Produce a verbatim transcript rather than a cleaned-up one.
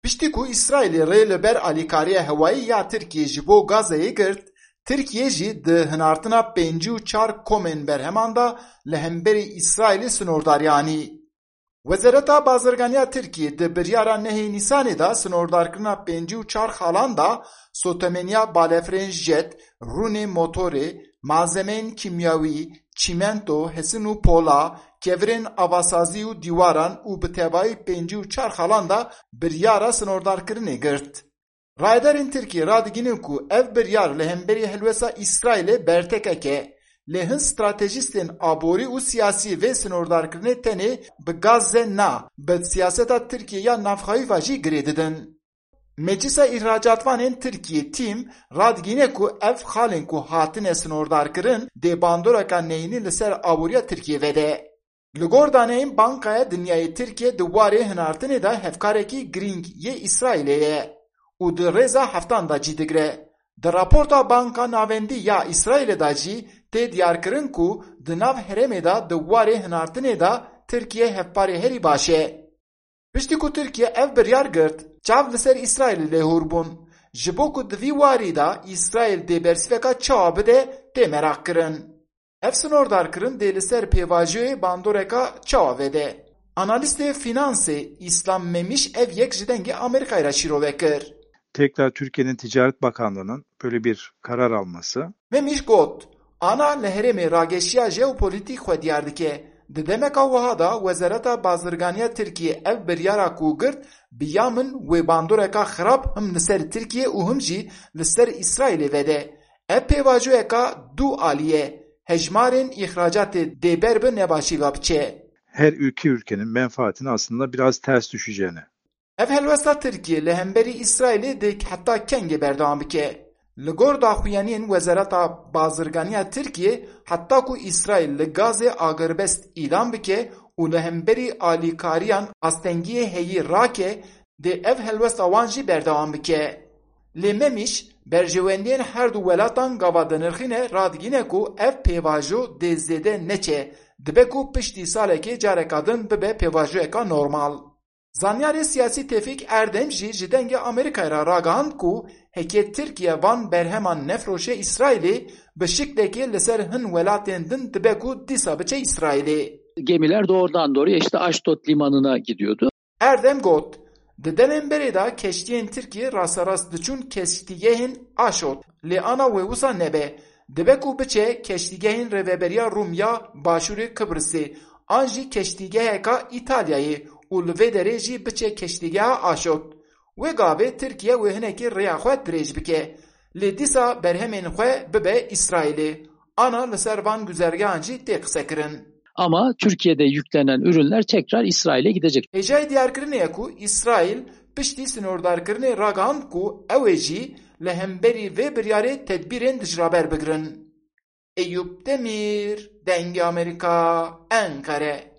Piştî ku Îsraîlê rê li ber alîkariya hewayî ya Tirkiyê ji bo Gazeyê girt, Tirkiye jî di hinartina pêncî û çar komên berheman de li hemberî Îsraîlê sinordarî anî. Wezareta Bazirganiya Tirkiyê di biryara nehê Nîsanê de sinordarkirina pêncî û çar xalan de sotemeniya balefirên jet, rûnê motorê, malzemeyên kîmyawî, çîmento, hesin û pola, kevirên avasazî û dîwaran û bi tevayî pêncî û çar xalan de biryara sinordarkirinê girt. Rayedarên Tirkiyê radigihînin ku ev biryar li hemberî helwesta Îsraîlê bertekek e, lê hin stratejîstên aborî û siyasî vê sinordarkirinê tenê bi Gazze na, bi siyaseta Tirkiyê ya navxweyî ve jî girê didin. Meclisa Îhracatvanên Tirkiyê, TÎM, radigihîne ku ev xalên ku hatine sinordarkirin dê bandoreka neyînî li ser aboriya Tirkiyê vede. Li gor daneyên Bankaya Dinyayê, Tirkiye di warê hinartinê de hevkarekî girîng yê Îsraîlê ye û di rêza heftan de cî digire. Di raporta Banka Navendî ya Îsraîlê de jî tê diyarkirin ku di nav herêmê de di warê hinartinê de Tirkiye hevparê herî baş e. Piştî ku Tirkiye ev biryar girt, çav li ser Îsraîlê lêhûr bûn. Ji bo ku di vî warî de Îsraîl dê bersîveka çawa bide, tê meraq kirin. Ev sinordarkirin dê li ser pêvajoyê bandoreka çawa vede? Analîstê fînansê Îslam Memîş ev yek ji Dengê Amerîkayê re şîrove kir. Tekrar Türkiye'nin Ticaret Bakanlığı'nın böyle bir karar alması. Memîş got, Ana li herêmê rageşiya jeopolîtîk xwe diyar dike. Di demeka wiha de Wezareta Bazirganiya Tirkiyê ev biryara ku girt, bi ya min wê bandoreka xirab him li ser Tirkiye û him jî li ser Îsraîlê vede. Ev pêvajoyeka du alî ye. Hejmarên îxracatê dê ber bi nebaşî ve biçe. Her iki ülkenin menfaatine aslında biraz ters düşeceğini. Ev helwesta Tirkiyê li hemberî Îsraîlê dê heta kengê berdewam bike? Li gor daxuyaniyên Wezareta Bazirganiya Tirkiyê, heta ku Îsraîl li Gazê agirbest îlan bike û li hemberî alîkariyan astengiyê heyî rake, dê ev helwesta wan jî berdewam bike. Lê Memîş, berjewendiyên her du welatan gava dinirxîne, radigîne ku ev pêvajo dê zêde neçe, dibe ku piştî salekê careka din bibe pêvajoyeka normal. Zanyarê siyasî Tevfîk Erdem jî ji Dengê Amerîkayê re ragihand ku heke Tirkiye van berheman nefiroşe Îsraîlê, bi şiklekê li ser hin welatên din dibe ku dîsa biçe Îsraîlê. Gemiler doğrudan doğruya işte Aşdod limanına gidiyordu. Erdem got, Di demên berê de keştiyên Tirkiyê rasterast diçûn keştîgehên Aşod, lê ana wê wisa nebe. Dibe ku biçe keştîgehên Rêveberiya Rûm ya Başûrê Kibrisê an jî keştîgeheka Îtalyayê û li vê derê jî biçe keştîgeha Aşod. Wê gavê Tirkiye wê hinekî rêya xwe dirêj bike. Lê dîsa berhemên xwe bibe Îsraîlê. Ana li ser van guzergehan jî tê qisekirin. Ama Türkiye'de yüklenen ürünler tekrar İsrail'e gidecek. Hêjayî diyarkirinê ye ku Îsraîl piştî sinordarkirinê ragihand ku ew ê jî li hemberî vê biryarê tedbîrên dijraber bigirin. Eyûp Demîr, Dengê Amerîka, Enqere.